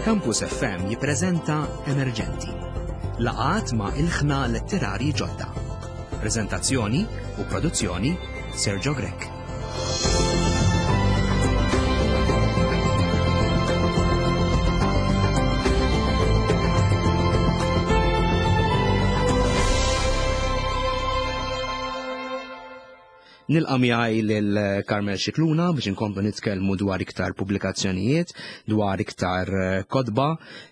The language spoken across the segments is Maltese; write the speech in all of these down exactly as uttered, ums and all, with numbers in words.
Campus F M jippreżenta Emerġenti. Laqgħat ma' ilħna letterari ġodda. Preżentazzjoni u produzzjoni Sergio Grech. Nilqa' miegħi lil Carmel Scicluna biex inkomplu nitkellmu dwar iktar pubblikazzjonijiet, dwar iktar kotba.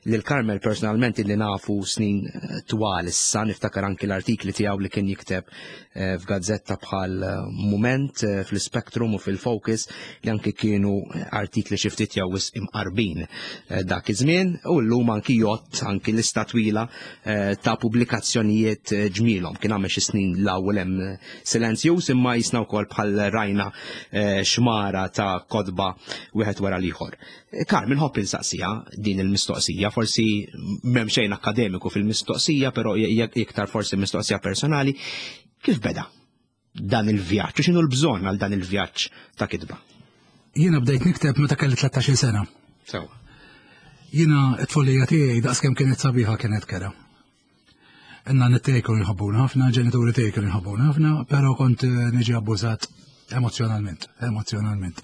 Lil Carmel personalment illi nafu snin twal issa, niftakar anki l-artikli tiegħu li kien jikteb, eh, f'gazzetta bħal Mument, eh, fl-Spectrum u fil-Focus, li anki kienu artikli xi ftit jew wisq imqarbin, eh, dak iż-żmien, u llum anki jgħodd anki lista twila, eh, ta' pubblikazzjonijiet ġmielhom. Kien għamel xi snin l-ewwel hemm silenzjuż, imma jisna wkoll bħal rajna, eh, xmara ta' kotba wieħed wara l-ieħor. Eh, Carmen, nħobb insaqsija din il-mistoqsija, forsi m'hemm xejn akkademiku fil-mistoqsija, però hija iktar forsi mistoqsija personali. Kif beda dan il-vjaġġ? U x'inhu l-bżonn għal dan il-vjaġġ ta' kitba? Jiena bdejt nikteb meta kelli tlettax-il sena. Sewa. Jiena t-tfulija tiegħi daqskemm kienet sabiħa kienet kera. Inna nittej kienu jħobbuna ħafna, ġenituri tiegħi kienu jħobbuna ħafna, però kont, eh, niġi abbużat emozjonalment, emozjonalment.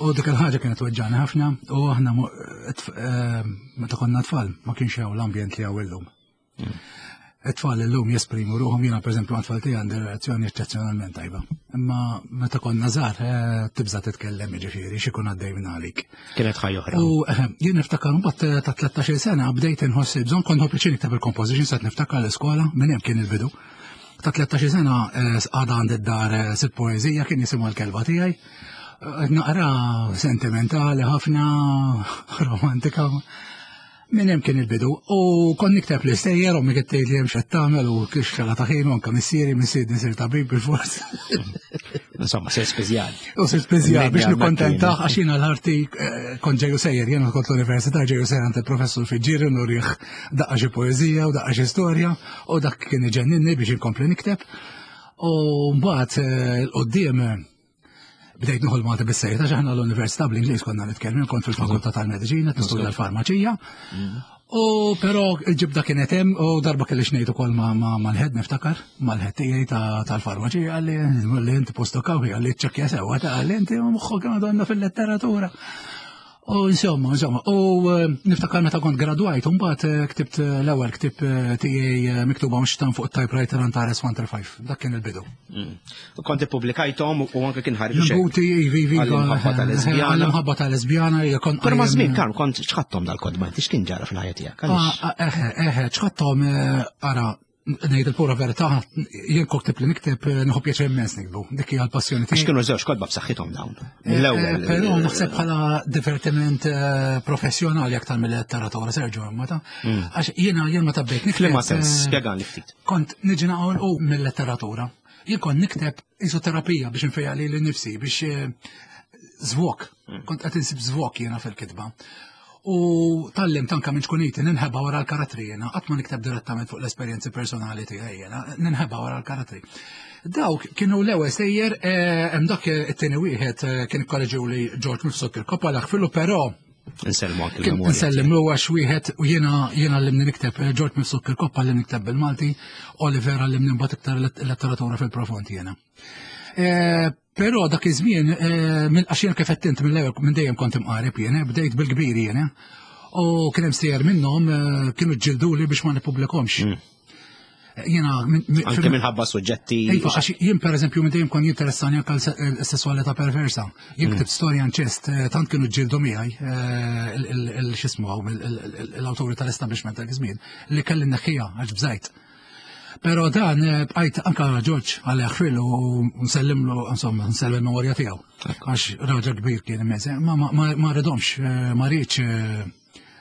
U dik il-ħaġa kienet weġġani ħafna, u aħna mu-, eh, tf-, eh, meta konna tfal ma kienx hawn l-ambjent li hawn illum. Mm. It-tfal illum jesprimu ruħhom, jiena pereżempju għand tfal tiegħi għandi relazzjoni eċċezzjonalment tajba. Imma meta konna żgħar, eh, tibża' titkellem, jiġifieri x'ikun għaddej minn għalik. Kienet ħajja oħra. U, eh, jien niftakar mbagħad, eh, ta' tlettax-il sena bdejt inħoss il-bżonn, kont nħobb pjaċir nikteb il-composition, sa niftakar l-iskola, minn hemm kien il-bidu. Ta' tlettax-il sena, eh, għadha għand id-dar, eh, sitt poeżija, kien jisimha l-kelba tiegħi. Eh, naqra sentimentali ħafna, romantika. Minn hemm kien il-bidu. U kont nikteb l-istejjer, u mi kien tgħid li hemm x'qed tagħmel u kif xala ta' ħin, u anke missieri, missieri nisir tabib bil-fors. Insomma, sir speżjal. U sir speżjal biex Medja nikkontentah, Martina. għax jiena l-arti, eh, kont ġeju sejjer, jiena kont l-università ġeju sejjer għand il-professur Fiġġieri nurih daqqa xi poeżija u daqqa xi storja, u dak kien iġenninni biex inkompli nikteb. U mbagħad, eh, l-qudiem bdejt nieħu l-Malti bis-sejt, għax aħna l-università bl-Ingliż konna nitkellmu, kont fil-fakultà tal-Mediċina, nistudja l-farmaċija. U però il-ġibda kienet hemm, u darba kelli xnejt ukoll ma-, ma-, mal-ħed niftakar, mal-ħed tiegħi ta-, tal-farmaċija, qalli, qalli inti posto kawhi, qalli ċċekkja sewwa, ta' qalli inti moħħok għandna fil-letteratura. U insomma, insomma, u, eh, niftakar meta kont gradwajt, u mbagħad, eh, ktibt, eh, l-ewwel ktieb, eh, tiegħi, eh, miktuba mhux tan fuq typewriter Antares one three five. Dak kien il-bidu. Mm. U kont ippubblikajthom u anke kien ħareġ xejn. Nbuti, ivi, ivi, Għall-imħabba eh, tal-lesbjana. għall-imħabba tal-lesbjana, hija kont Però ma' qajjem, żmien, Karm, kont x'ħadthom dal-kodba, inti x'kien ġara fil-ħajja tiegħek? Għaliex? Ah, ah, eħe, eħe, x'ħadthom, eh, ara, ngħid il-pura verità, jien kont li nikteb, eh, nieħu pjaċir immens nikbu. Dik hija l-passjoni tiegħi. Għax kienu żewġ kotba b'saħħithom dawn. Eh, L-ewwel, eh, però eh, naħseb bħala divertiment, eh, professjonali aktar mill-letteratura, Sergio, imma ta' Mm. għax jiena jien meta bdejt nikteb, F'liema sens, eh, spjegani ftit. Kont niġi naqgħu u mill-letteratura. Jien kont nikteb isoterapija biex nfejja lili nnifsi, biex, eh, żvok. Mm. Kont qed insib żvok jiena fil-kitba. U tallimt anka minn xkuniti ninħeba wara l-karattri jiena, qatt ma nikteb direttament fuq l-esperjenzi personali tiegħi jiena, ninħeba wara l-karattri. Dawk kienu l-ewwel sejjer, eh, hemm dak it-tieni wieħed, eh, kien ikkoreġew li George Mifsud Kirkop għal ħfilu, però Insellmu anke kien l-memorja nsellim tiegħek. lu għax wieħed u jiena, jiena għallimni nikteb, eh, George Mifsud Kirkop għallimni nikteb bil-Malti, Oliver għallimni mbagħad iktar let-, letteratura fil-profond jiena. Eh, però dak iż-żmien, eh, minn għax jiena kif qed int mill-ewwel minn dejjem kont imqareb jiena, bdejt bil-kbir jiena. U kien hemm sejjer minnhom, eh, kienu ġġilduli biex ma nippubblikhomx. Mm. Jiena minn, minn, Anke fil- minħabba suġġetti. Iva, għax jien pereżempju minn dejjem kont jinteressani anke l-se-, l-sesswalità perversa. Jien Mm. ktibt storja inċest, eh, tant kienu ġġieldu miegħi, eh, il-, il-, il-, x'ismu hawn, il-, il-, il-, l-awturi tal-establishment dak iż-żmien, li kelli nneħħiha għax bżajt. Però dan, eh, bqajt anka George għal jaħfil u nsellimlu, insomma, nsellem il-memorja tiegħu. Għax raġel kbir kien immens. Ma, ma, ma, ma rridhomx, eh, ma rridx, eh,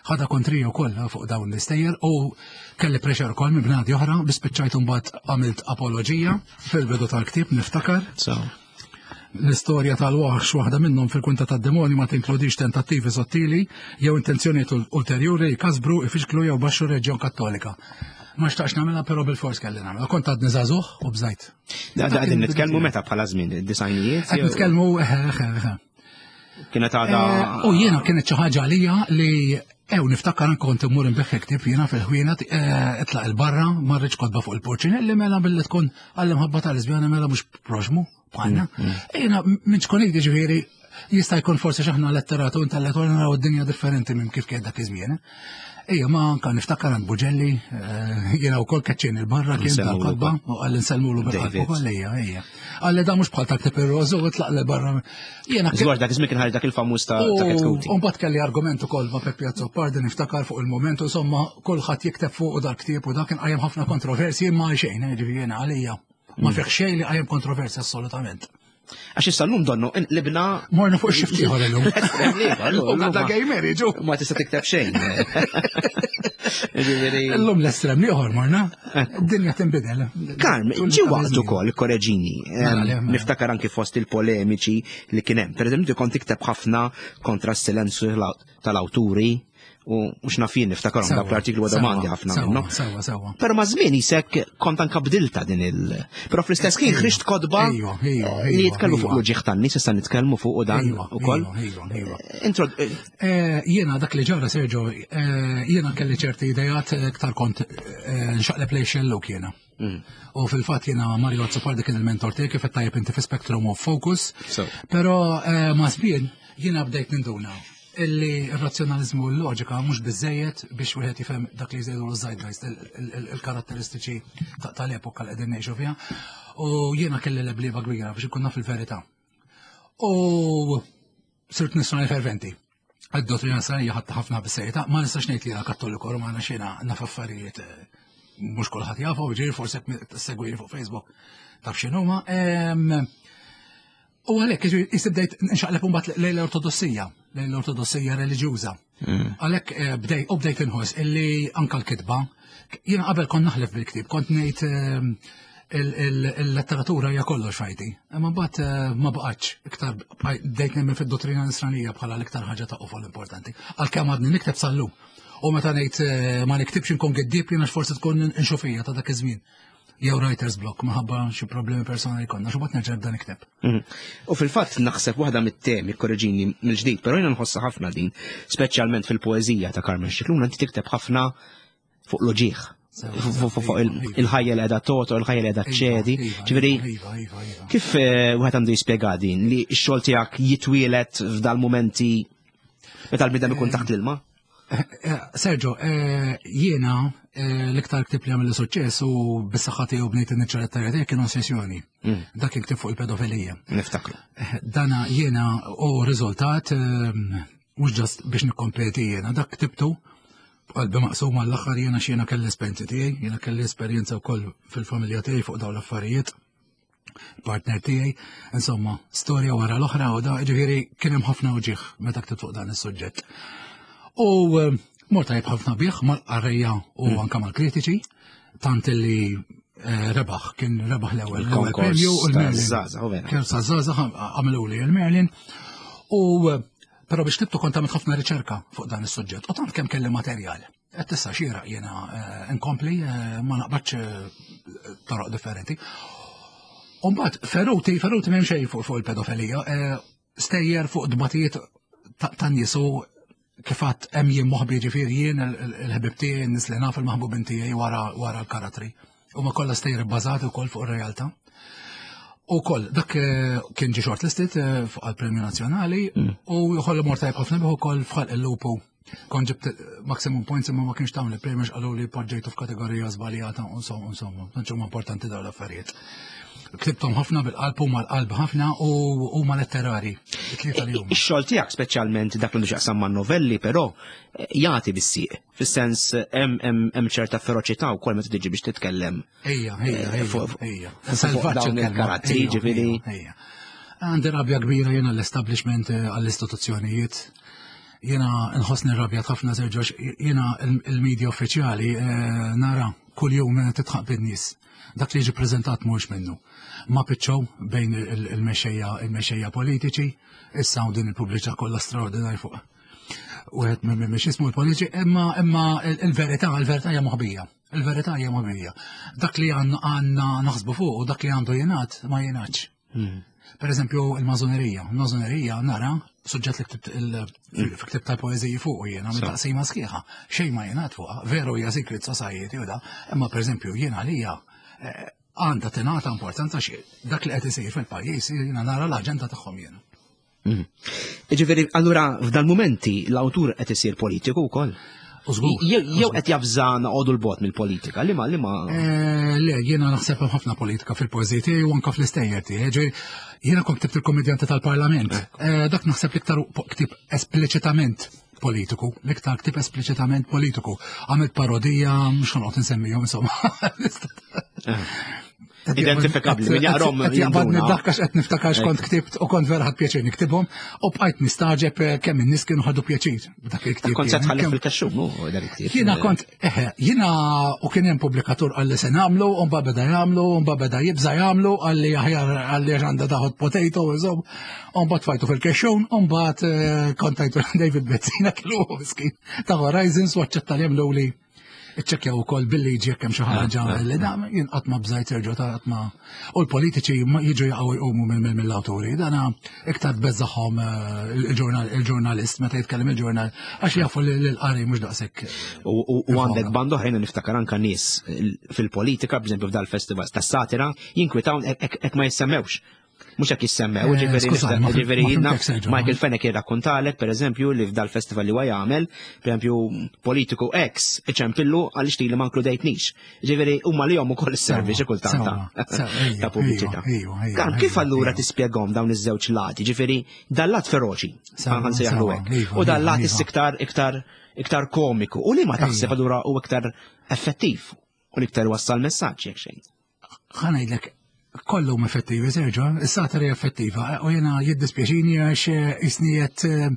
ħadha kontrija wkoll fuq dawn l-istejjer u kelli pressure ukoll minn bnadi oħra biex spiċċajt imbagħad għamilt apoloġija fil-bidu tal-ktieb niftakar. So. L-istorja tal-waħx waħda minnhom fil-kwinta tad-demonju ma tinkludix tentattivi sottili jew intenzjonijiet ul-, ulterjuri jkasbru, ifixklu jew baxxu reġjon Kattolika. Ma xtaqx nagħmilha, però bil-fors kelli nagħmilha. Kont għadni żagħżugħ u bżajt. Da, da, qegħdin nitkellmu meta bħala żmien, id-disajnijiet? Qed nitkellmu, eħe, eħe, eħe. Kienet għadha Eh, u jiena kienet xi ħaġa għalija li Ew, niftakar kont immur nbigħ ktieb jiena fil-ħwienet, itlaq il-barra, ma rridx kotba fuq il-purċinelli, mela billi tkun għall-imħabba tal-lesbjana mela mhux proxmu bħalna. Jiena minn ċkuniti, ġifieri jista' jkun forsi x'aħna letteratu intellettuali naraw id-dinja differenti minn kif kien dak iż-żmien. Ejja, ma anka niftakar għand Buġelli, jiena wkoll keċċin il-barra kien tal-kotba u qalli nsellmulu bil-qalb ukoll, ejja, ejja. Qalli da mhux bħal ta' ktieb ir-rożu u tlaq l barra. Jiena Żgur dak iż-żmien kien ħareġ dak il-famuż ta' Ketkuti. U mbagħad kelli argument ukoll ma' Peppi Azzopardi, niftakar, fuq il-moment, insomma kulħadd jikteb fuq u dal-ktieb u dak kien qajjem ħafna kontroversji, ma xejn, ġifieri jiena għalija ma fih xejn li qajjem kontroversja assolutament. Għax issa l-lum donnu, libna. Morna fuq xift ieħor illum. U għadda gay marriage. Ma tista' tikteb xejn. Illum l-estrem ieħor morna. Id-dinja tinbidel. Karm, ġi waqt ukoll, korreġini, niftakar anki fost il-polemiċi li kien hemm. Per eżempju, kont tikteb ħafna kontra s-silenzju tal-awturi u mhux nafin niftakarhom dak l-artiklu għadhom għandi ħafna minnu. Sewwa, sewwa. Però ma' żmien isek kont anka bdilta din il. Però fl-istess ħin ħriġt kotba li jitkellmu fuq l-uġigħ tan-nies, issa nitkellmu fuq u dan ukoll. Intro. Jiena dak li ġara, Sergio, jiena kelli ċerti idejat, iktar kont nxaqleb lejn xellug jiena. U fil-fatt jiena Mario Azzopardi kien il-mentor tiegħi, kif tajjeb inti fi Spectrum of Focus. Però ma' żmien jiena bdejt ninduna illi il-razzjonalizmu u l-loġika mhux biżejjed biex wieħed jifhem dak li jżejdu l-zeitgeist, il-karatteristiċi tal-epoka li qegħdin ngħixu fiha. U jiena kelli leblieba kbira biex ikun naf il-verità. U sirt nisrani ferventi. Id-dottrina nisranija ħadd ħafna bis-serjetà, ma nistax ngħid li jiena Kattoliku Romana, xejna naf affarijiet mhux kulħadd jafu, ġifieri forsi segwini fuq Facebook taf x'inhuma. U għalhekk ġifieri bdejt nxaqleb mbagħad lejn l-ortodossija, lejn l-ortodossija reliġjuża. Għalhekk bdejt u bdejt inħoss illi anka l-kitba, jiena qabel kont naħlef bil-ktieb, kont ngħid il-letteratura hija kollox fajti. Imma mbagħad ma baqgħetx, iktar bdejt nemmen fid-dottrina nisranija bħala l-iktar ħaġa ta' qofol importanti. Għalkemm għadni nikteb sal-lum. U meta ngħid ma niktibx inkun giddieb jiena, forsi tkun inxufija ta' dak iż-żmien jew writer's block minħabba xi problemi personali konna, xi mbagħad nerġa' nibda nikteb. U fil-fatt naħseb waħda mit-temi, korreġini mill-ġdid, però jiena nħossha ħafna din, speċjalment fil-poeżija ta' Carmel Scicluna, inti tikteb ħafna fuq l-uġigħ, fuq il-ħajja li qiegħda toto, il-ħajja li qiegħda ċedi. Ġifieri, kif wieħed għandu jispjega din li x-xogħol tiegħek jitwielet f'dal-momenti meta l-bniedem ikun taħt l-ilma? Sergio, jiena l-iktar ktib li għamil suċċess u bis-saħħa tiegħu bnejt in-niċċa letterarja tiegħi kienu Sessjoni. Dak kien ktib fuq il-pedofilija. Niftakru. Dana jiena u riżultat mhux just biex nikkompeti jiena, dak ktibtu b'qalbi maqsuma l-aħħar jiena, x'jiena kelli esperjenzi tiegħi, jiena kelli esperjenza wkoll fil-familja tiegħi fuq dawn l-affarijiet, partner tiegħi, insomma, storja wara l-oħra u da, ġifieri kien hemm ħafna uġigħ meta ktibt fuq dan is-suġġett. U mort tajjeb ħafna bih mal-qarrejja u anka mal-kritiċi, tant li rebaħ, kien rebaħ l-ewwel l-ewwel premju u l-Merlin. Kien sa żgħażagħ għamlu li l-Merlin. U però biex ktibtu kont għamilt ħafna riċerka fuq dan is-suġġett u tant kemm kelli materjal. Qed tista' xieraq jiena nkompli ma naqbadx toroq differenti. U mbagħad Feruti, Feruti m'hemm xejn fuq il-pedofilija, stejjer fuq dbatijiet tan-nies u kif għadt hemm jien moħbi, ġifieri jien, il-ħbib tiegħi, n-nies li naf, il-maħbubin tiegħi wara wara l-karattri. Huma kollha stejjer bbażati wkoll fuq ir-realtà. U koll, dak kien ġi shortlisted fuq għal-Premju Nazzjonali u jħollu mort tajjeb ħafna bih ukoll f'Ħalq il-Lupu. Kont ġibt maximum points imma ma kienx tawni l-premju, qalu li poġġejtu f'kategorija żbaljata, insomma, insomma, tantx huma importanti dawn l-affarijiet. Ktibtom ħafna bil-qalb u mal-qalb ħafna u huma letterari. It-tlieta li huma. Ix-xogħol tiegħek, speċjalment dak li xaqsam man novelli, però jagħti bis-sieq. Fis-sens hemm ċerta feroċità wkoll meta tiġi biex titkellem. Ejja, ejja, ejja. Fuq dawn il-karattri, ġifieri. Għandi rabja kbira jiena l-establishment, għall-istituzzjonijiet. Jiena nħossni rabjat ħafna, Sergio, jiena il-media uffiċjali nara kull jum titħaq bin-nies. Dak li jiġi preżentat mhux minnu. Ma pitċow bejn il-mexxejja il-mexxejja politiċi, issa din il-pubbliċità kollha straordinarju fuq wieħed minn mhix ismu l-politiċi, imma imma il-verità il-verità hija moħbija. Il-verità hija moħbija. Dak li għandna naħsbu fuq u dak li għandu jingħad ma jingħadx. Per eżempju, il-mażonerija. Il-mażonerija nara suġġett li ktibt il-ktib tal-poeżiji fuq jiena minn taqsima sħiħa. Xejn ma jingħad fuqha, veru hija secret society u da, imma per eżempju jiena għalija eh, għandha tingħata importanza xi dak li qed isir fil-pajjiż jiena nara l-aġenda tagħhom jiena. Mhm. Ġifieri, allura f'dal momenti l-awtur qed isir politiku wkoll. Jew qed jafża noqogħdu 'l bogħod mill-politika, li ma li ma. Eh, le, jiena naħseb hemm ħafna politika fil-poeżiji tiegħi u anke fl-istejjer tiegħi. Jiena kont ktibt il-Kommedjanti tal-Parlament. Eh, dak naħseb l-iktar ktib espliċitament politiku, l-iktar ktib espliċitament politiku. Għamilt parodija, mhux noqgħod insemmihom insomma. Eh. Identifikabli, min jaqrom. Jaqbadni dak għax qed niftakar x'kont ktibt u kont vera ħadt pjaċir niktibhom u bqajt nistaġeb eh, kemm in-nies kienu ħadu pjaċir b'dak il-ktieb. Kont se tħalli fil-kaxxum, dak il-ktieb. Jiena kont, eħe, jiena u kien hemm pubblikatur qalli se nagħmlu, u mbagħad beda jagħmlu, u mbagħad beda jibża jagħmlu, qalli aħjar qalli għandha daħod potato, insomma, u mbagħad tfajtu fil-kexxun, u mbagħad eh, kontajtu David Bezzina kellu miskin ta' Horizons u aċċetta li jagħmlu li iċċekkjaw ukoll bil-liġi jekk hemm xi ħaġa ah, li da jien qatt ma bżajt serġu ta' qatt ma u l-politiċi jiġu jaqgħu jqumu mill-awturi. Dana iktar tbeżżagħhom eh, il-ġurnalist meta jitkellem il-ġurnal għax jafu li l-qari mhux daqshekk. U għandek band oħrajn niftakar anka nies fil-politika, b'eżempju f'dal-festival tas-satira, jinkwitaw hekk ma jissemmewx. Mhux hekk jissemmew, eh, ġifieri Michael Fenech jirrakkontalek, per eżempju, li f'dal-festival li huwa jagħmel, per eżempju, politiku ex iċempillu għaliex li ma nkludejtnix. Ġifieri huma li jom ukoll is-servi xi kultant ta' pubbliċità. Kan kif allura tispjegahom dawn iż-żewġ lati, ġifieri dal-lat feroċi, ħansejjaħlu hekk, u dal-lat iktar iktar iktar komiku, u li ma taħseb allura u iktar effettiv u l-iktar wassal messaġġ jekk xejn. Ħa ngħidlek kollhom effettivi, Sergio, is-satira effettiva, u jena jiddispjaċini għax isnijet eh,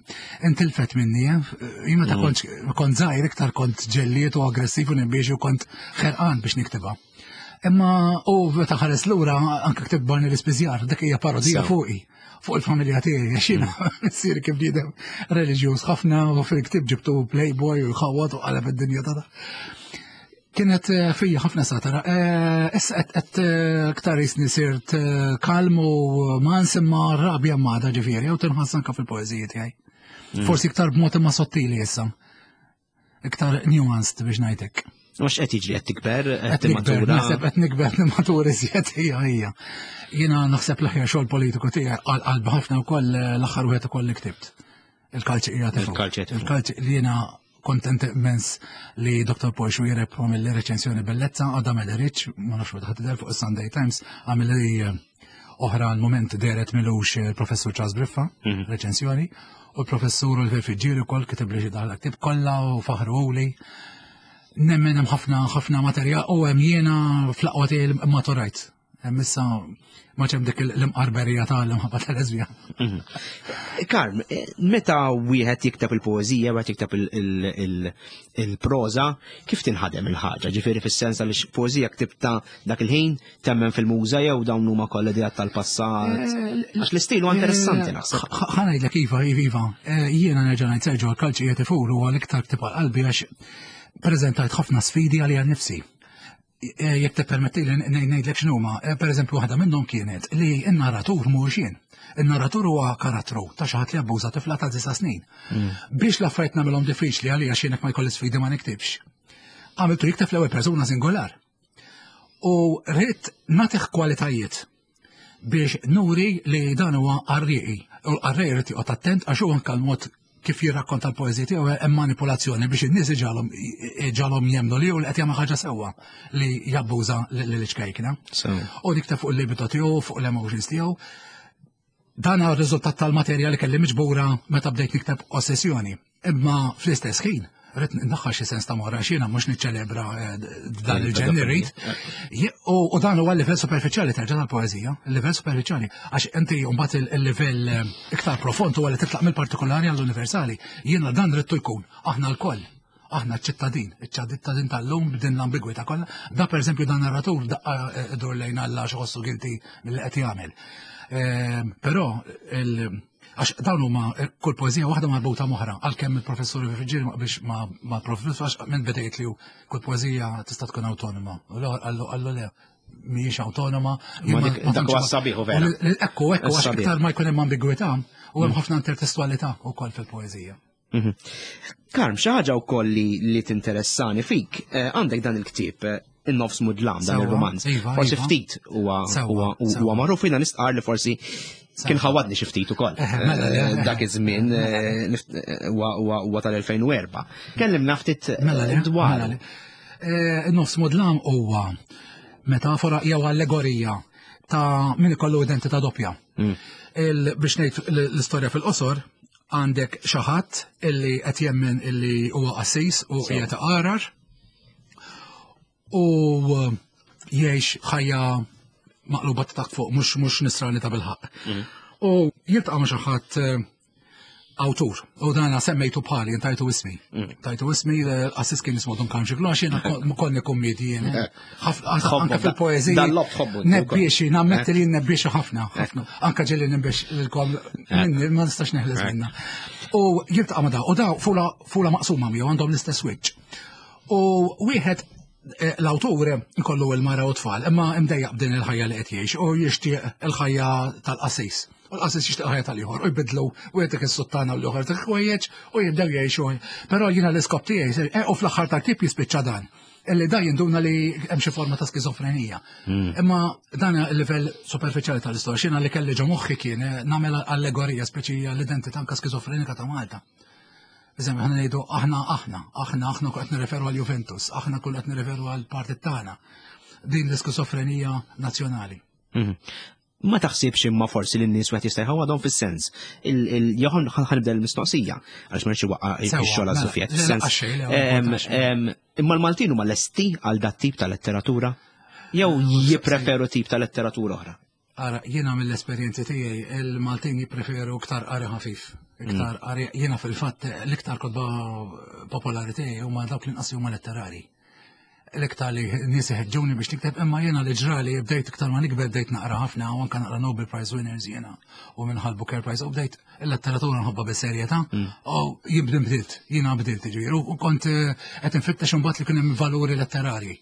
intilfet minni, eh. Jien meta mm. kont kont żgħir iktar kont ġelliet u aggressiv u nimbiex u kont ħerqan biex niktibha. Imma u meta ħares lura anke ktib Barney l-Ispiżjar, dik hija parodija fuqi fuq il-familja tiegħi għax jiena mm. missieri kif bniedem reliġjuż ħafna u fil-ktib ġibtu playboy u jħawwad u qaleb id-dinja ta' Kienet eh, fija ħafna satira. Eh, issa qed eh, iktar jisni sirt kalm u ma nsimma rabja mada ġifieri, u tinħass anke fil-poeżiji tiegħi. Mm. Forsi iktar b'mod imma sottili issa. Iktar nuanced biex ngħidlek. Mhux qed jiġri qed tikber, qed nikber, naħseb qed nikber nimmatura iżjed hija hija. Jiena naħseb l-aħjar xogħol politiku tiegħi għal qalbi ħafna wkoll l-aħħar wieħed ukoll li ktibt. Il-kalċi hija Il-kalċi Il-kalċi li jiena kontent immens li Dr. Paul Xuereb għamil li reċensjoni bellezza, għadha ma deritx, ma nafx meta ħadd fuq is-Sunday Times, għamil li eh, oħra l-moment deret milux il-professur Charles Briffa, mhm. reċensjoni, u l-professur Oliver Fiġġieri wkoll kiteb li xi daħal ktib kollha u faħru li nemmen hemm ħafna ħafna materjal u hemm jiena fl-aqwa tiegħi maturajt. Hemm issa ma ċem dik l-imqarberija tal-imħabba tal-lesbija. Mhm. Karm, meta wieħed jikteb il-poeżija, wieħed jikteb il-proża, kif tinħadem il-ħaġa? Ġifieri fis-sens li poeżija ktibta dak il-ħin temmen fil-muża jew dawn huma kollha ideat tal-passat. Eh, Għax l-istil huwa interessanti naħseb. Ħa ngħidlek iva, iva, iva. Eh, jiena nerġa' ngħid Sergio għal-kalċi qed ifur huwa l-iktar ktieb għal qalbi għax preżentajt ħafna sfidi għalija nnifsi. Eh, jekk tippermetti li ngħidlek x'numa, eh, pereżempju waħda minnhom kienet li n-narratur mhuwiex jien. In-narratur huwa karattru ta' xi ħadd li abbuża tifla ta' disa' snin. Mm. Biex l-affarijiet nagħmilhom diffiċli għalija x'jien ma jkolli sfidi ma niktibx. Għamiltu jikteb fl-ewwel persuna singolar. U rrid nagħtih kwalitajiet biex nuri li dan huwa qarrieqi. U l-qarrieqi jrid joqgħod attent għax huwa anke l-mod kif jirrakkonta l-poeżija tiegħu hemm manipolazzjoni biex in-nies iġalhom iġalhom jemmnu li hu li qed jagħmel ħaġa sewwa li jabbuża lil ċkejkna. U nikteb fuq il-libido tiegħu, fuq l-emotions tiegħu. Dan huwa r-riżultat tal-materja li kelli miġbura meta bdejt nikteb ossessjoni. Imma fl-istess ħin, rrid ndaħħal xi sens ta' mora xina mhux niċċelebra eh, dan il-ġen irrid. U dan huwa l-livell superfiċjali terġa' tal-poeżija, il-livell superfiċjali, għax inti mbagħad il-livell eh, iktar profond huwa li titlaq mill-partikolari għall-universali. Jiena dan ridtu jkun aħna lkoll aħna ċittadin, iċ-ċittadin tal-lum b'din l-ambigwità kollha. Da pereżempju dan narratur daqqa eh, dur lejn Alla xi guilty mill qed jagħmel. Però għax dawn huma eh, kull poeżija waħda marbuta m'oħra, għalkemm il-professur Virgil ma qbilx ma' professur għax minn bidejt li kull poeżija tista' tkun awtonoma. U l-ieħor qallu qallu le, mhijiex awtonoma. Ma dak huwa sabiħ vera. Ekku, ekku, għax iktar ma jkun hemm ambigwità u hemm ħafna intertestualità wkoll fil-poeżija. Mhm. Karm, xi ħaġa wkoll li tinteressani fik, eh, għandek dan il-ktieb eh, In-nofs mudlam, dan il-romanz. Iva, forsi iva. ftit huwa huwa magħruf, jiena nistqar li forsi kien ħawadni xi ftit ukoll. Eh, mela, eh, dak iż-żmien eh, huwa tal-elfejn u erbgħa. Kellimna ftit mela, dwar. Mela, In-nofs mudlam huwa metafora jew allegorija ta' min ikollu identità doppja. Mm. Biex ngħid l-istorja fil-qosor, għandek xi ħadd illi qed jemmen illi huwa qassis u qiegħed iqarar u jgħix ħajja maqluba ta' fuq, mhux mhux nisrani ta' bilħaqq. Mm. U jiltaqa' ma' xi ħadd eh, awtur, u dana semmejtu bħali, tajtu ismi. Mm. Tajtu ismi, l-qassis kien jismu Dun Karm Scicluna, jiena konni kummedi jien. Eh. Anka fil-poeżija. Dan-lob tħobbu. Nebbiexi, nammetti li nebbiexi ħafna, ħafna. Anka ġieli nibbex lilkom minni, ma nistax neħles minna. U jiltaqa' ma' da, u da fula, fula maqsuma miegħu, għandhom l-istess wiċċ. U wieħed eh, l-awtur ikollu l-mara u tfal, imma imdejjaq b'din il-ħajja li qed jgħix u jixtieq il-ħajja tal-qassis. U l-qassis jixtieq il-ħajja tal-ieħor u jbidlu u jtik is-suttana u l-ieħor dik ħwejjeġ u jibdew jgħixu. Però jiena l-iskop tiegħi, eh, u fl-aħħar tal-ktieb jispiċċa dan. Illi da jinduna li hemm xi forma ta' skizofrenija. Hmm. Imma dan il-livell superfiċjali tal-istorja, x'jiena li kelli ġo moħħi kien eh, nagħmel allegorija speċi l-identità anke skizofrenika ta' Malta. Eżempju, aħna ngħidu aħna aħna, aħna aħna kull qed nirreferu għal Juventus, aħna kull qed nirreferu għal partit tagħna. Din l-iskizofrenija nazzjonali. Mhm. Ma taħsibx imma forsi li n-nies wieħed jista' jħawadhom fis-sens. Joħon ħanibda l-mistoqsija għaliex ma rridx iwaqqa' Sewwa, ix-xogħol mela, għas-Sufjet. le, Fis-sens, laqqa xejn, le, ma em, importax. em, imma l-Maltin huma lesti għal dat tip ta' letteratura jew jippreferu tip ta' letteratura oħra? Ara, jiena mill-esperjenzi tiegħi il-Maltin jippreferu iktar qari ħafif. Iktar qari, jiena fil-fatt l-iktar kotba popolari tiegħi huma dawk li nqas huma letterari. L-iktar li nies iħeġġuni biex nikteb, imma jiena li ġrali bdejt iktar ma nikber bdejt naqra ħafna u anke naqra Nobel Prize winners jiena u minħal Booker Prize u bdejt il-letteratura nħobbha bis-serjetà u jibdin bdilt, jiena bdilt ġifieri u kont eh, qed infittex imbagħad li kien hemm valuri letterarji.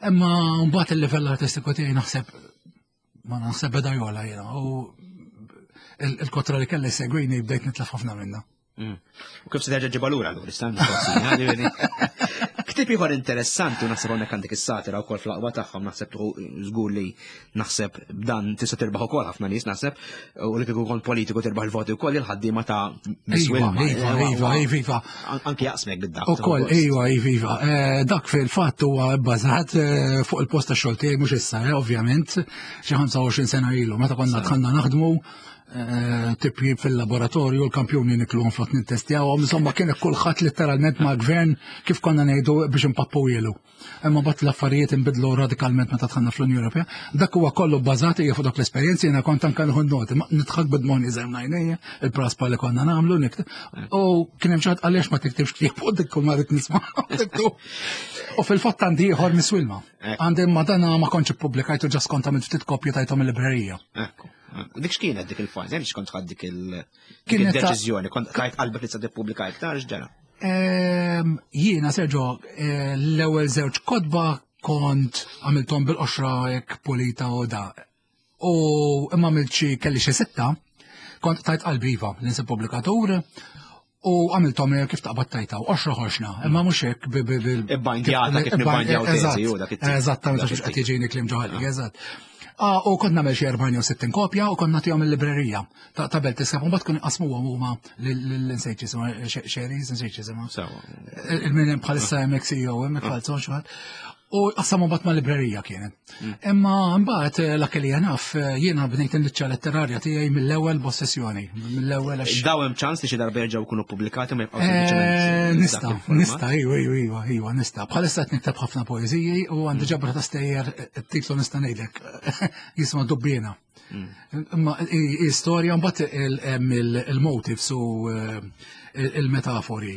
Imma mbagħad il-livell artistiku tiegħi naħseb ma naħseb beda jola jiena u il- il-kotra li kelli segwini bdejt nitlef ħafna minna. Mm. U kif se terġa' ġibha lura allura, issa mistoqsija, ġifieri. Ktieb ieħor interessanti u naħseb hawnhekk għandek is-satira wkoll fl-aqwa tagħhom, naħseb tuħu żgur li naħseb b'dan tista' tirbaħ ukoll ħafna nies naħseb, u li kieku kont politiku tirbaħ il-voti wkoll il-ħaddiema ta' Miss Iva, Wilma. iva, iva, iva, iva. An- Anki jaqsmek bid-dak. Ukoll, iva, iva, iva. Eh, dak fil-fatt huwa bbażat, eh, fuq il-post ta' xogħol tiegħi mhux issa, eh, ovvjament, xi ħamsa u għoxrin sena ilu, meta konna dħalna naħdmu, eh, tipjib fil-laboratorju, l-kampjuni nikluhom flok nittestjawhom, insomma kien kulħadd letteralment ma' gvern kif konna ngħidu biex impappu ilu. Imma mbagħad l-affarijiet inbidlu radikalment meta dħalna fl-Unjoni Ewropea. Dak huwa kollu bbażat hija fuq dak l-esperjenzi, jiena kont anke nieħu noti, ma nidħak bid-moni żemm ngħinejja, il-praspa li konna nagħmlu nikteb. U kien hemm xi ħadd għaliex ma tiktibx ktieb u dik kull ma rrid nisma'. U fil-fatt għandi ieħor Miss Wilma. Ekku. Għandi ma dana ma kontx ippubblikajtu ġas kont għamilt ftit kopji tajthom il-librerija. Ekku. Dik x'kienet dik il-fażi, għaliex kont ħadd dik il- dik Kienet ta' il-deċiżjoni, kont tajt qalbek li se tippubblika iktar x'ġara? Ehm, jiena, Sergio, eh, l-ewwel żewġ kotba kont għamilthom bil-qoxra hekk pulita u da. U imma għamilt xi kelli xi sitta, kont tajt qalbi iva li nsib pubblikatur u għamilthom kif taqbad tajta u qoxra ħoxna, imma mhux hekk bi- bi- bil- Ibbandjata kif kif- nibbandjaw teżi eżatt, u dak it-tip. Eżattament, Dak għax it-tip. qed jiġini kliem ġoħalli, eżatt. Ah, u kont nagħmel xi erbgħin jew sittin kopja u kont nagħtihom il-librerija ta' ta' Belt Iskap, u mbagħad kun iqasmuhom huma lil-insejt jisimha, Xeris, insejt jisimha. Sewa. Il-min hemm bħalissa hemmhekk C E O, hemmhekk bħalissa xi ħadd. U qassamu mbagħad ma' librerija kienet. Imma mbagħad eh, l li naf eh, jiena bnejt il-liċċa letterarja tiegħi mill-ewwel b'ossessjoni, mill-ewwel għax Daw hemm ċans li xi darba jerġgħu jkunu pubblikati ma jibqgħu Eh, sempliċement Nista, dak il-format? nista, iwa, iwa, iwa, iwa, nista. Bħalissa qed nikteb ħafna poeżiji u għandi ġabra ta' stejjer, it-titlu nista' ngħidlek, jisma' Dubbiena. Imma i- i- storja mbagħad il- hemm il- il-motifs u eh, il-metafori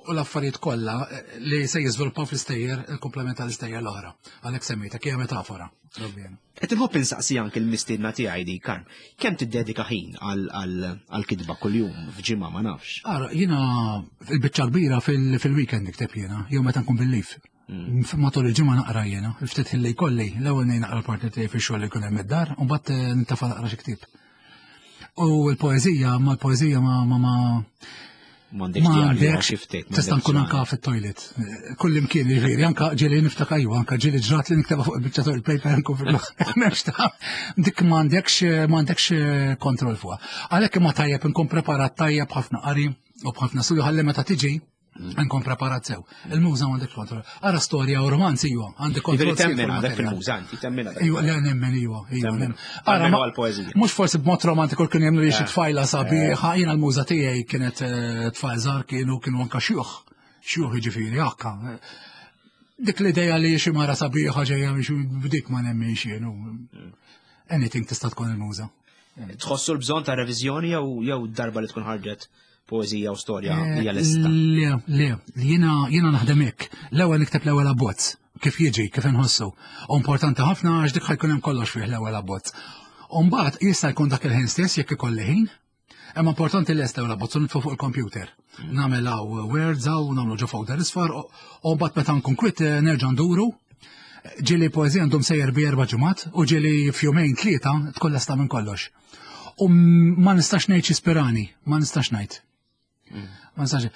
u l-affarijiet kollha li se jiżviluppaw fl-istejjer, il-komplement tal-istejjer l-oħra. Għalhekk semmejtek hija metafora. Dubbiena. Qed inħobb insaqsi anke l-mistiedna tiegħi di, Karm, kemm tiddedika ħin għal-kitba kuljum f'ġimgħa ma nafx? Ara, jiena il-biċċa kbira fil-weekend nikteb jiena, jew meta nkun bil-leave. Mm. Matul il-ġimgħa naqra jiena, il-ftit ħin li jkolli, l-ewwel ngħin naqra l-partner tiegħi fix-xogħol li jkun hemm id-dar, u mbagħad eh, nintafa' naqra xi ktieb. U l-poeżija, ma l-poeżija ma ma ma M'għandekx ftit. Tista' nkun anka fit-toilet. Kull imkien jiġifieri, anka ġieli niftakar iva, anka ġieli ġrat li niktebha fuq il-biċċa toilet paper nkun fil M'hemmx ta' dik m'għandekx m'għandekx kontroll fuqha. Għalhekk imma tajjeb nkun preparat tajjeb ħafna qari u b'ħafna studju ħalli meta tiġi nkun preparat sew. Il-muża m'għandek kontroll. Ara storja u romanzi iwa, għandek kontroll. Temmen għandek fil-muża, inti temmen Iwa, le nemmen iwa, iwa. Ara, mhux forsi b'mod romantiku kien jemmnu li xi eh. tfajla sabiħa, jiena l-muża tiegħi kienet eh, tfajl żgħar kienu kienu anka xjuħ. Xjuħ jiġifieri akka. Dik l-idea li xi mara sabiħa ġejja biex b'dik ma nemminx jien. Mm. Anything tista' tkun il-muża. Tħossu l-bżonn ta' reviżjoni jew jew darba li tkun ħarġet poeżija u storja eh, hija lesta? Le, le, jiena jiena naħdem hekk. L-ewwel nikteb l-ewwel abbozz, kif jiġi, kif inħossu. U importanti ħafna għax dik ħa jkun hemm kollox fih l-ewwel abbozz. U mbagħad jista' jkun dak il-ħin stess jekk ikolli ħin, Imma importanti li l-ewwel abbozz u nitfu fuq il-computer. Nagħmel hawn words hawn nagħmlu ġo folder isfar u mbagħad meta nkun kwit eh, nerġa' nduru. Ġieli poeżija għandhom sejjer bi erba' ġimgħat u ġieli f'jumejn tlieta tkun lesta minn kollox. U ma nistax ngħid x'ispirani, ma nistax ngħid. Ma nistax.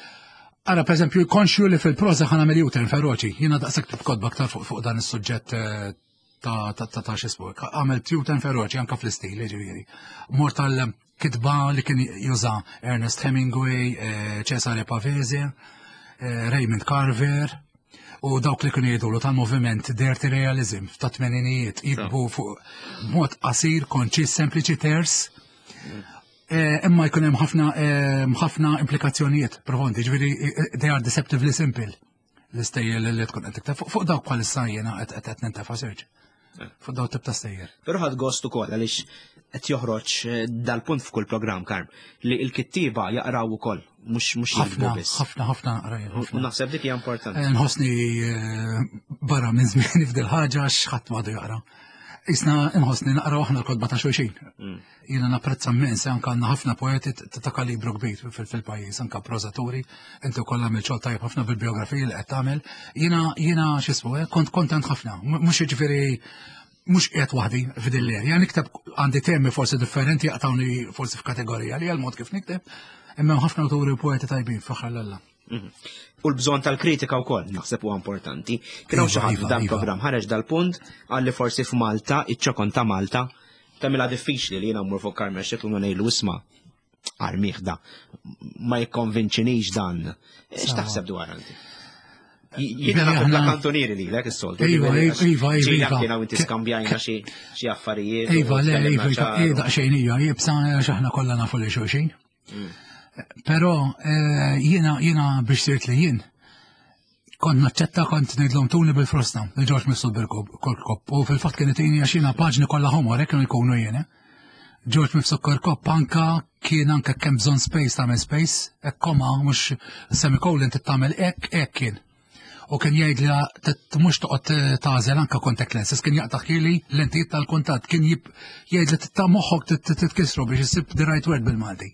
Ara, per eżempju, konxju li fil-proza ħa nagħmel U-turn feroċi. Jiena daqshekk ktibt kotba aktar fuq fuq dan is-suġġett eh, ta' ta' ta' ta' x'ismu. Għamilt U-turn feroċi anka fl-istil, ġifieri. Mort tal-kitba li kien juża Ernest Hemingway, eh, Cesare Pavese, eh, Raymond Carver, u dawk li kienu jgħidulu tal-moviment Dirty Realism ta' tmeninijiet jiktbu fuq mod qasir, konċis, sempliċi, ters. Eh, Imma jkun hemm ħafna eh, ħafna implikazzjonijiet profondi, ġifieri eh, they are deceptively simple. L-istejjer li tkun qed tikteb fuq fuq dawk bħalissa jiena qed qed qed nintefa' search. Fuq dawk tip ta' stejjer. Però ħadt gost ukoll għaliex qed joħroġ eh, dal-punt f'kull programm Karm li l-kittieba jaqraw ukoll mhux mhux jiktbu Ħafna, biss. ħafna, ħafna naqra jien, U ħafna. naħseb dik hija importanti. Eh, Nħossni eh, barra minn żmien f'dil ħaġa x'ħadd m'għadu jaqra. Isna nħossni naqra aħna l-kotba ta' xulxin. Mm. Jiena napprezza immens anka għandna ħafna poeti t- ta' kalibru kbir fil- fil-pajjiż, anka prożaturi, inti wkoll għamil xogħol tajjeb ħafna bil-biografiji li qed tagħmel. Jiena jiena x'ismu, eh, kont kontent ħafna, M- mhux jiġifieri mhux qiegħed waħdi f'din l-area. Nikteb għandi temi forsi differenti jaqtawni forsi f'kategorija li għal mod kif nikteb, imma hemm ħafna awturi u poeti tajbin f'aħħar l-alla. Mhm. U l-bżonn tal-kritika wkoll naħseb huwa importanti. Kien hawn xi Iva, ħadd iva, f'dan iva. programm ħareġ dal-punt għalli forsi f'Malta, iċ-ċokon ta' Malta, tagħmilha diffiċli li jiena mmur fuq Carmel Scicluna ngħidlu isma' armih da ma jikkonvinċinix dan. X'taħseb dwar inti? Jiena Bene, nagħti bla aħna- kantonieri lilek is-soltu. Iva, ġifieri, għax iva, iva, ġieli iva. anke hawn inti skambjajna xi xi affarijiet. u Iva, le, tkellimna iva, ċar u- iva, daqsxejn hija, jibsa għax aħna kollha nafu li xulxin. Mm. Però eh, jiena jiena biex sirt li jien kont naċċetta kont ngħidlhom tuni bil-frosta, li George Mifsud Kirkop, u fil-fatt kien itini għax jiena paġni kollha ħomor, hekk kienu jkunu jien. eh. George Mifsud Kirkop anka kien anka kemm bżonn space tagħmel space, hekk koma mhux semicolon tagħmel hekk hekk kien. U kien jgħid li tit- mhux toqgħod tagħżel anka contact lenses, kien jaqtaħili lentijiet tal-kuntatt, kien jib jgħid li titta moħħok titkisru biex issib the right word bil-Malti.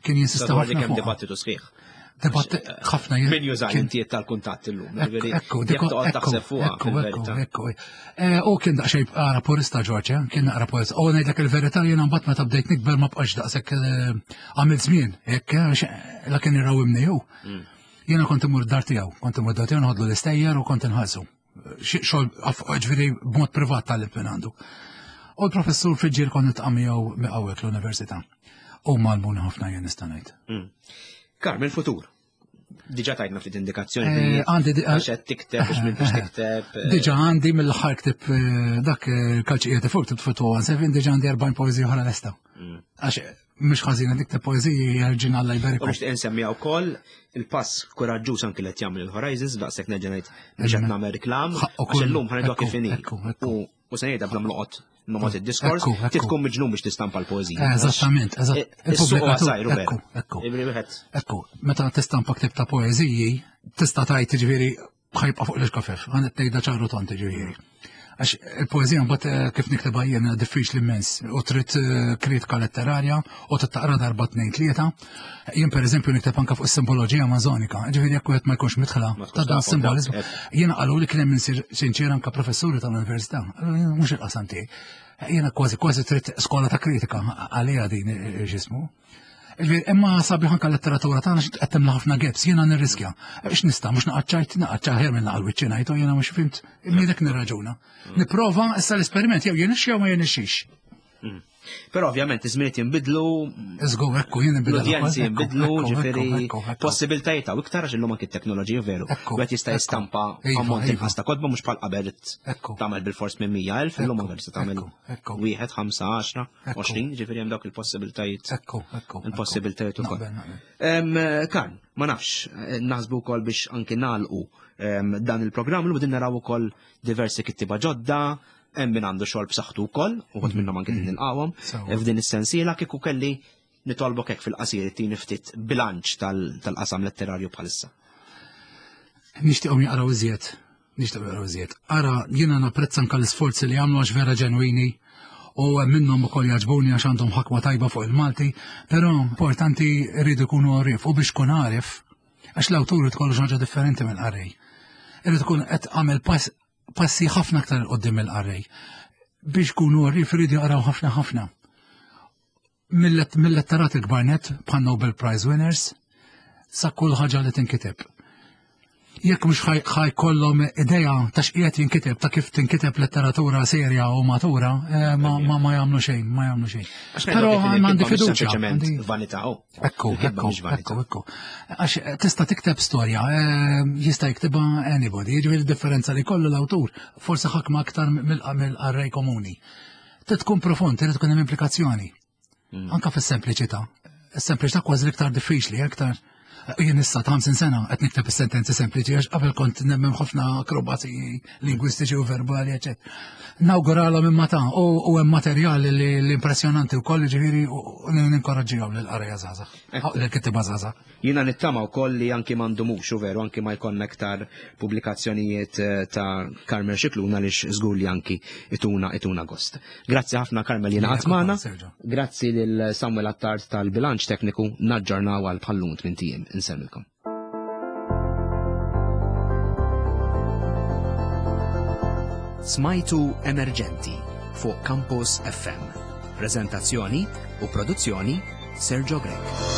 Kien jinsista Dwar dik ħafna hemm fuqha. dibattitu sħiħ. Dibatt ħafna jien- Min juża kien- l-lentijiet tal-kuntatt illum. Ekku, Ġifieri, ekku, jekk diko- toqgħod ekku, taħseb fuqha ekku, ekku, fil-verità. ekku. Eh, U kien daqsxejn ara purista George, eh, kien naqra purista. U ngħidlek il-verità jiena mbagħad meta bdejt nikber ma bqax daqshekk eh, għamilt żmien, hekk eh, għax la kien irawimni hu. Mm. Jiena kont imur dar tiegħu, kont imur dar tiegħu nħodlu l-istejjer u kont inħallsu. Xi- Xogħol aff- ġifieri b'mod privat tal minn għandu. U l-professur Fiġġier kont niltaqa' miegħu miqawwek l-università. U għallmuni ħafna jien nista' ngħid. Mm. Carmen, futur. Diġà tajtna ftit indikazzjoni. Eh, Għandi di- Għax qed tikteb, biex minn biex tikteb. eh, Diġà għandi mill-aħħar ktib eh, dak eh, kalċijiet fuq ktib fuq seven diġà għandi erbgħin poeżija oħra lesta. Mm. Għax mhux ħażin nikteb poeżiji jerġin Alla U jberiku. nixtieq insemmiha wkoll il-pass kuraġġuż anki li qed jagħmel il-Horizons daqshekk nerġa' ngħid biex qed nagħmel reklam Ħaqqu għax kull- illum ħa ngħidu ekku, kif inhi. ekku, ekku. U u se ngħidha bla ma noqgħod nomgħod id-diskors, Ekku, ekku. ti tkun miġnun biex tistampa l-poeżija. Eh, Eżattament, eżatt. Is-suq huwa Il-pubblikatur- żgħir, Ekku, ekku. Ġifieri wieħed Ekku, meta tistampa ktib ta' poeżiji, tista' tajt ġifieri ħa jibqa' fuq l-ixkafef, ħa ngħidha ċar u tond ġifieri. Għax il-poezija mbagħad eh, kif niktebha jiena diffiċli immens u trid eh, kritika letterarja u taqra darba tnejn tlieta. Jien pereżempju nikteb anke fuq is-simboloġija mażonika. Ġifieri jekk wieħed ma jkunx midħla ta' dan simboliżmu. Jiena qalu li kien hemm sinċer anke professuri tal-università. Mhux il-qasam tiegħi. Jiena kważi kważi trid skola ta' kritika għalija din ġismu. Imma sabiħ anka letteratura tagħna qed timla ħafna gaps, jiena nirriskja. X'nista' mhux naqaċċajt, naqaċċa ħer minn naqal wiċċi ngħidu jiena mhux fimt, immiedek nirraġuna. Nipprova issa l-esperiment jew jirnexxi jew ma jirnexxix. Mm. Però ovvjament iż-żminijiet jinbidlu. Żgur, ekku, jien inbidlu. L-udjenzi jinbidlu, ġifieri possibiltajiet hawn iktar għax illum anki t-teknoloġija veru. Wieħed jista' jistampa iva, ammont iva. inqas ta' kotba mhux bħal qabel tagħmel bil-fors minn mija elf, illum anke tista' tagħmel wieħed, ħamsa, għaxra, għoxrin, ġifieri hemm dawk il-possibiltajiet. Ekku, ekku. Il-possibiltajiet ukoll. Karl, ma nafx, naħsbu wkoll biex anki nagħlqu dan il-programm, l naraw ukoll diversi kittiba ġodda, hemm min għandu xogħol b'saħħtu wkoll, uħud minnhom anke din nilqawhom. F'din is-sensiela kieku kelli nitolbok hekk fil-qasir tini ftit bilanċ tal-qasam letterarju bħalissa. Nixtieqhom jaqraw iżjed, nixtieqhom jaqraw iżjed. Ara, jiena napprezza anke l-isforzi li jagħmlu għax vera ġenwini u minnhom ukoll jogħġbuni għax għandhom ħakma tajba fuq il-Malti, però importanti rridu jkunu għarif u biex kun għarif, għax l-awtur tkollu ħaġa differenti mill-qarrej. Irid ikun qed għamel pass passi ħafna aktar 'il quddiem il-qarrej. Biex kunu għarif iridu jaqraw ħafna ħafna. Mill-letterat il-kbar nett bħal Nobel Prize winners sa kull ħaġa li tinkiteb. Jekk mhux ħa jkollhom idea ta' x'qiegħed jinkiteb, ta' kif tinkiteb letteratura serja u matura, eh, ma ma ma jagħmlu xejn, ma jagħmlu xejn. Però m'għandi fiduċja. Vanità. Ekku, ekku, ekku, ekku. Għax tista' tikteb storja, eh, jista' jiktibha anybody, jiġifieri differenza li kollu l-awtur, forsi ħakma aktar mill-qarrej komuni. Trid tkun profond, trid tkun hemm implikazzjoni. Mm. Anka fis-sempliċità. Is-sempliċità kważi l-iktar diffiċli, aktar jien issa ta' ħamsin sena qed nikteb is-sentenzi sempliċi għax qabel kont nemmen ħafna akrobati lingwistiċi u verbali, eċetera. Nawguralhom imma ta' u hemm materjali li impressjonanti wkoll ġifieri u ninkoraġġihom lill-qarrejja żgħażagħ, lill-kittieba żgħażagħ. Jiena nittama wkoll li anki m'għandhomux u veru anki ma jkollna aktar pubblikazzjonijiet eh, ta' Carmel Scicluna li żgur li anki ituna ituna gost. Grazzi ħafna Carmel jiena magħna. Grazzi lil Samuel Attard tal-bilanċ tekniku naġġornaw għal bħallum tmint ijiem. Insellmilkom. Smajtu Emerġenti fuq Campus F M. Prezentazzjoni u produzzjoni Sergio Grech.